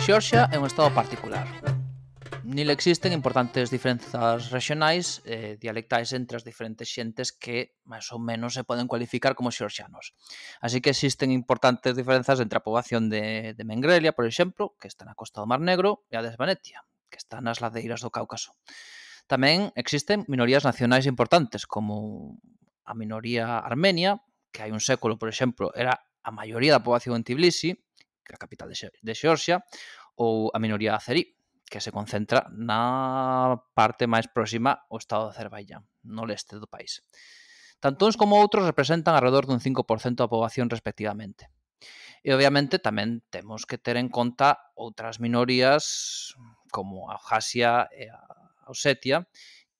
Xeorxia é un estado particular. Nil existen importantes diferenzas regionais e dialectais entre as diferentes xentes que, máis ou menos, se poden cualificar como xeorxianos. Así que existen importantes diferenzas entre a poboación de Mengrelia, por exemplo, que está na costa do Mar Negro, e a de Svanetia, que está nas ladeiras do Cáucaso. Tamén existen minorías nacionais importantes, como a minoría armenia, que hai un século, por exemplo, era a maioría da poboación en Tbilisi, que é a capital de Xeorxia, ou a minoría azerí, que se concentra na parte máis próxima ao estado de Azerbaiyán, no leste do país. Tanto uns como outros representan alrededor dun 5% da poboación respectivamente. E obviamente tamén temos que ter en conta outras minorías como a Abjasia e a Osetia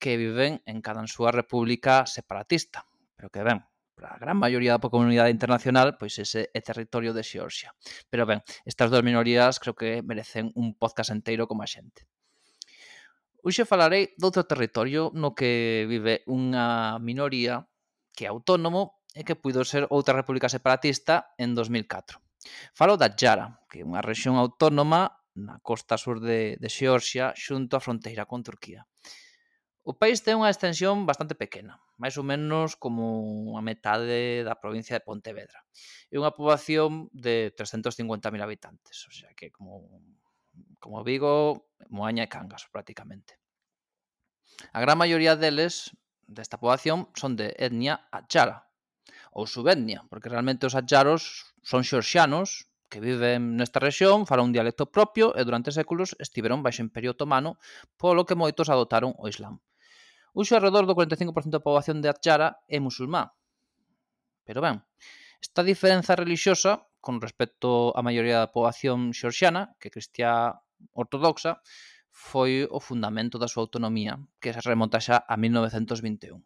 que viven en cada súa república separatista, pero que ben, para a gran maioría da comunidade internacional, pois ese é territorio de Xeorxia. Pero ben, estas dúas minorías creo que merecen un podcast enteiro como a xente. Hoxe falarei doutro territorio no que vive unha minoría que é autónomo e que puido ser outra república separatista en 2004. Falo da Adjara, que é unha rexión autónoma na costa sur de Xeorxia xunto á fronteira con Turquía. O país ten unha extensión bastante pequena, máis ou menos como a metade da provincia de Pontevedra. É unha poboación de 350.000 habitantes, o sea que como Vigo, Moaña e Cangas, prácticamente. A gran maioría deles, desta poboación, son de etnia adjara, ou subetnia, porque realmente os adjaros son xeorxianos que viven nesta rexión, falan un dialecto propio e durante séculos estiveron baixo Imperio Otomano, polo que moitos adoptaron o Islam. Hoxe, alrededor do 45% da poboación de Adjara é musulmá. Pero ben, esta diferenza religiosa, con respecto á maioría da poboación xeorxiana, que é cristiá ortodoxa, foi o fundamento da súa autonomía, que se remonta xa a 1921.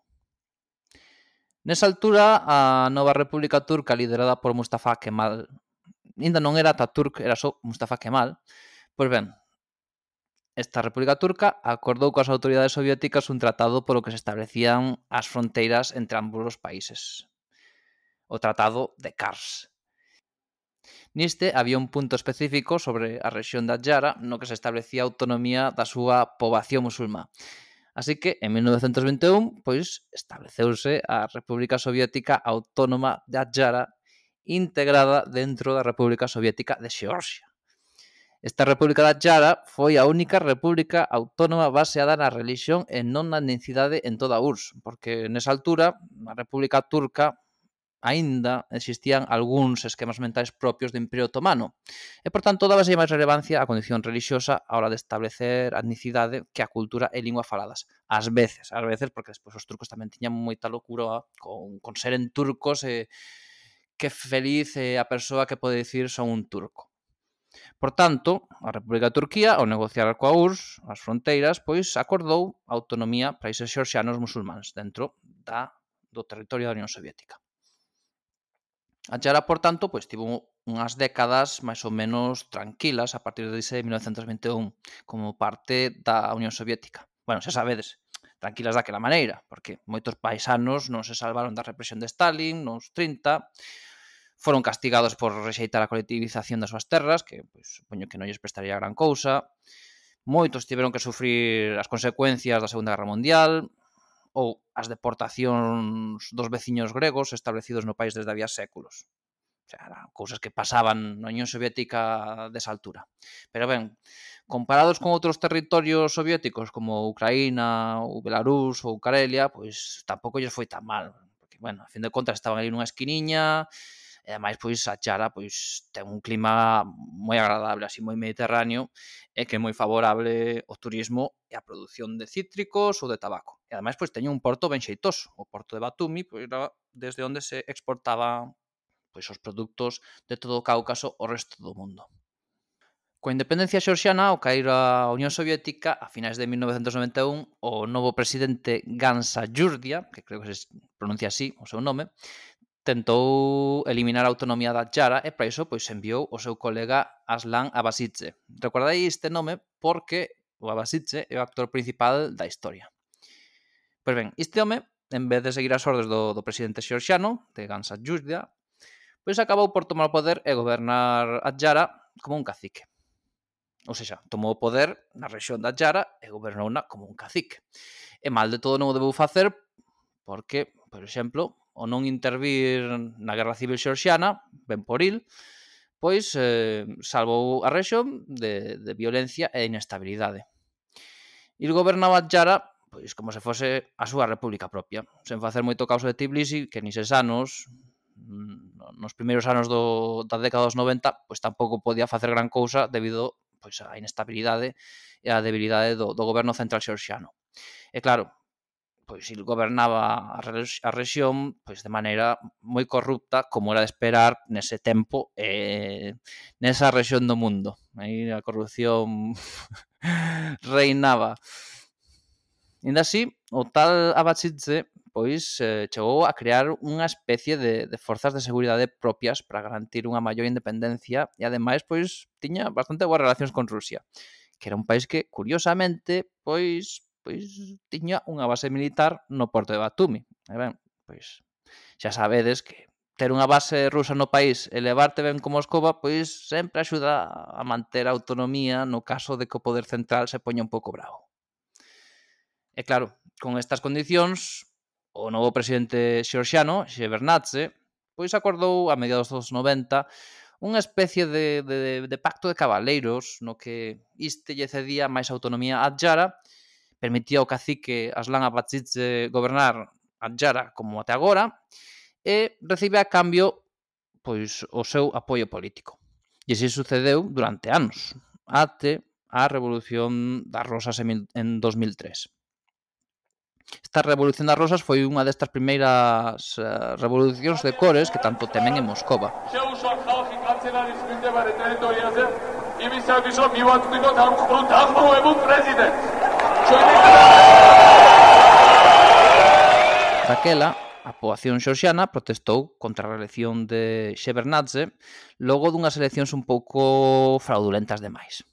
Nesa altura, a nova República Turca, liderada por Mustafa Kemal, ainda non era Atatürk, era só Mustafa Kemal, pois ben, esta República Turca acordou coas autoridades soviéticas un tratado polo que se establecían as fronteiras entre ambos os países. O Tratado de Kars. Niste había un punto específico sobre a rexión da Adjara no que se establecía a autonomía da súa poboación musulmá. Así que, en 1921, pois, estableceuse a República Soviética Autónoma de Adjara integrada dentro da República Soviética de Xeorxia. Esta República da Adjara foi a única república autónoma baseada na religión e non na etnicidade en toda a URSS, porque nesa altura, na República Turca, aínda existían algúns esquemas mentais propios do Imperio Otomano e, por tanto, dábase máis relevancia á condición religiosa a hora de establecer a etnicidade que a cultura e lingua faladas. Ás veces, porque despois os turcos tamén tiñan moita locura con seren turcos e que feliz é a persoa que pode dicir son un turco. Por tanto, a República de Turquía, ao negociar coa URSS as fronteiras, pois acordou a autonomía para países xeorxianos musulmáns dentro do territorio da Unión Soviética. A Adjara, por tanto, pois tivo unhas décadas máis ou menos tranquilas a partir de 1921 como parte da Unión Soviética. Bueno, xa sabedes, tranquilas daquela maneira, porque moitos paisanos non se salvaron da represión de Stalin nos 30, foron castigados por rexeitar a colectivización das súas terras, que pois, supoño que non lles prestaría gran cousa. Moitos tiveron que sufrir as consecuencias da Segunda Guerra Mundial ou as deportacións dos veciños gregos establecidos no país desde había séculos. O sea, eran cousas que pasaban na Unión Soviética desa altura. Pero ben, comparados con outros territorios soviéticos como Ucraína, ou Belarús ou Karelia, pois tampouco lles foi tan mal. Porque, bueno, a fin de contas estaban ali nunha esquiniña. E ademais, pois, a Adjara pois, ten un clima moi agradable, así moi mediterráneo, e que é moi favorable ao turismo e á produción de cítricos ou de tabaco. E ademais, pois, teñen un porto ben xeitoso. O porto de Batumi, pois, era desde onde se exportaban pois, os produtos de todo o Cáucaso ao resto do mundo. Coa independencia xeorxiana, ao caer a Unión Soviética, a finais de 1991, o novo presidente Gansa Yurdia, que creo que se pronuncia así o seu nome, tentou eliminar a autonomía da Adjara e para iso pois enviou o seu colega Aslan Abasidze. Recordai este nome porque o Abasidze é o actor principal da historia. Pois ben, este home, en vez de seguir as ordes do presidente xeorxiano, de Gansa Yuzdia, pois acabou por tomar o poder e gobernar Adjara como un cacique. Ou seja, tomou o poder na rexión da Adjara e gobernouna como un cacique. E mal de todo non o debeu facer porque, por exemplo, o non intervir na Guerra Civil xeorxiana, ben por il, pois salvou a rexión de violencia e inestabilidade. Il gobernaba Adjara pois como se fose a súa república propia, sen facer moito causa de Tbilisi, que nises anos, nos primeiros anos da década dos 90, pois tampouco podía facer gran cousa debido pois á inestabilidade e á debilidade do goberno central xeorxiano. E claro, pois il gobernaba a rexión pois de maneira moi corrupta, como era de esperar nese tempo nesa rexión do mundo. Aí a corrupción reinaba. Ainda así, o tal Abasidze pois chegou a crear unha especie de forzas de seguridade propias para garantir unha maior independencia e ademais pois tiña bastante boas relacións con Rusia, que era un país que, curiosamente, pois tiña unha base militar no porto de Batumi. E ben, pois xa sabedes que ter unha base rusa no país e levarte ben como Moscova, pois sempre axuda a manter a autonomía no caso de que o poder central se poña un pouco bravo. E claro, con estas condicións, o novo presidente xeorxiano, Shevardnadze, pois acordou a mediados dos 90 unha especie de pacto de cabaleiros no que iste lle cedía máis autonomía a Adjara, permitía ao cacique Aslan Abasidze gobernar Adjara como até agora e recibe a cambio pois o seu apoio político. E así sucedeu durante anos, até a Revolución das Rosas en 2003. Esta Revolución das Rosas foi unha destas primeiras revolucións de cores que tanto temen en Moscova. Daquela, a poboación xeorxiana protestou contra a reelección de Shevardnadze logo dunhas eleccións un pouco fraudulentas demais.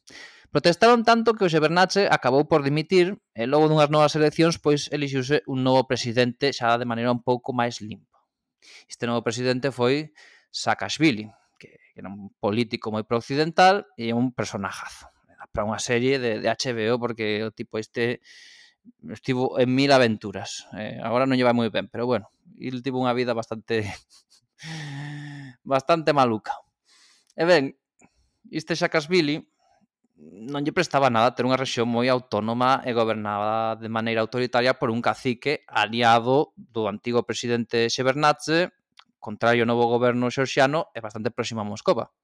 Protestaron tanto que o Shevardnadze acabou por dimitir e logo dunhas novas eleccións pois elixiuse un novo presidente xa de maneira un pouco máis limpa. Este novo presidente foi Saakashvili, que era un político moi pro-occidental e un personajazo. Para unha serie de HBO porque o tipo este estivo en 1000 aventuras. Agora non lle vai moi ben, pero bueno, il tivo unha vida bastante maluca. E ben, este Saakashvili non lle prestaba nada ter unha rexión moi autónoma e gobernada de maneira autoritaria por un cacique aliado do antigo presidente Shevardnadze, contrario ao novo goberno xeorxiano e bastante próximo a Moscova.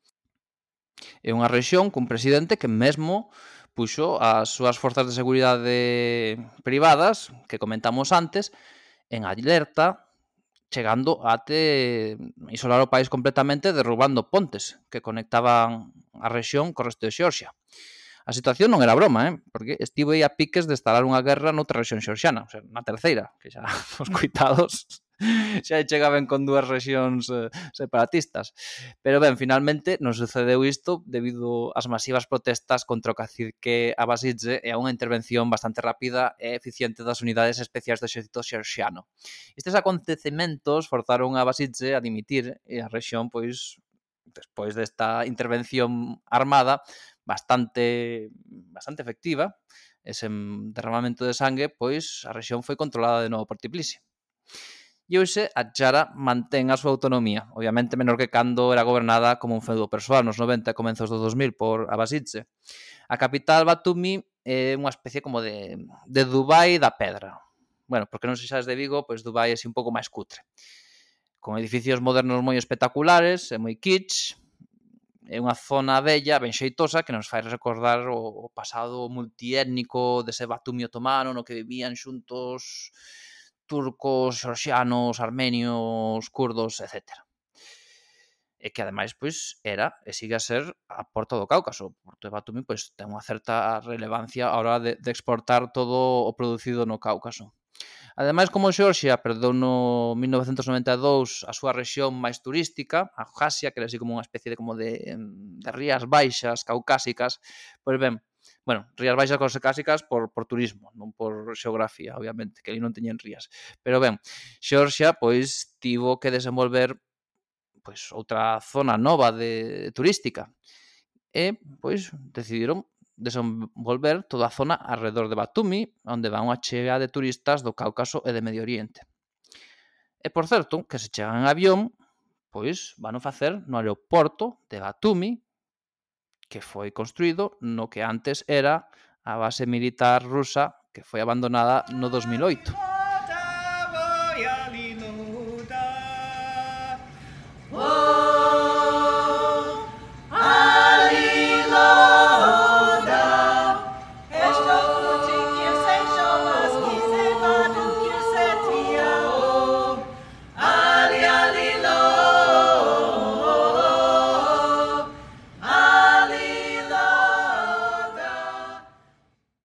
É unha rexión cun presidente que mesmo puxo as súas forzas de seguridade privadas, que comentamos antes, en alerta, chegando até isolar o país completamente derrubando pontes que conectaban a rexión co resto de Xeorxia. A situación non era broma, porque estivo aí a piques de instalar unha guerra noutra rexión xeorxiana, o sea, na terceira, que xa os coitados xa chegaban con dúas rexións separatistas. Pero ben, finalmente non sucedeu isto debido ás masivas protestas contra o cacique Abasidze e a unha intervención bastante rápida e eficiente das unidades especiais do exército xeorxiano. Estes acontecementos forzaron a Abasidze a dimitir e a rexión, pois, despois desta intervención armada bastante efectiva, ese derramamento de sangue, pois a rexión foi controlada de novo por Tbilisi. E hoxe Adjara mantén a súa autonomía, obviamente menor que cando era gobernada como un feudo persoal nos 90 e comenzos do 2000 por Abasidze. A capital Batumi é unha especie como de Dubai da pedra. Bueno, porque non se sabes de Vigo, pois Dubai é un pouco máis cutre. Con edificios modernos moi espectaculares e moi kitsch, é unha zona bella, ben xeitosa, que nos fai recordar o pasado multiétnico dese Batumi otomano no que vivían xuntos turcos, xorxianos, armenios, kurdos, etc. E que, ademais, pois, era e sigue a ser a porta do Cáucaso. O porto de Batumi, pois, ten unha certa relevancia a hora de exportar todo o producido no Cáucaso. Ademais, como Xeorxia perdeu no 1992 a súa rexión máis turística, a Abjasia, que era así como unha especie de rías baixas caucásicas, pois ben, bueno, rías baixas caucásicas por turismo, non por xeografía, obviamente, que ali non teñen rías. Pero ben, Xeorxia, pois, tivo que desenvolver pois outra zona nova turística. E, pois, decidiron desenvolver toda a zona arredor de Batumi, onde va unha chea de turistas do Cáucaso e de Medio Oriente. E, por certo, que se chegan en avión, pois, vano facer no aeroporto de Batumi, que foi construído no que antes era a base militar rusa que foi abandonada no 2008.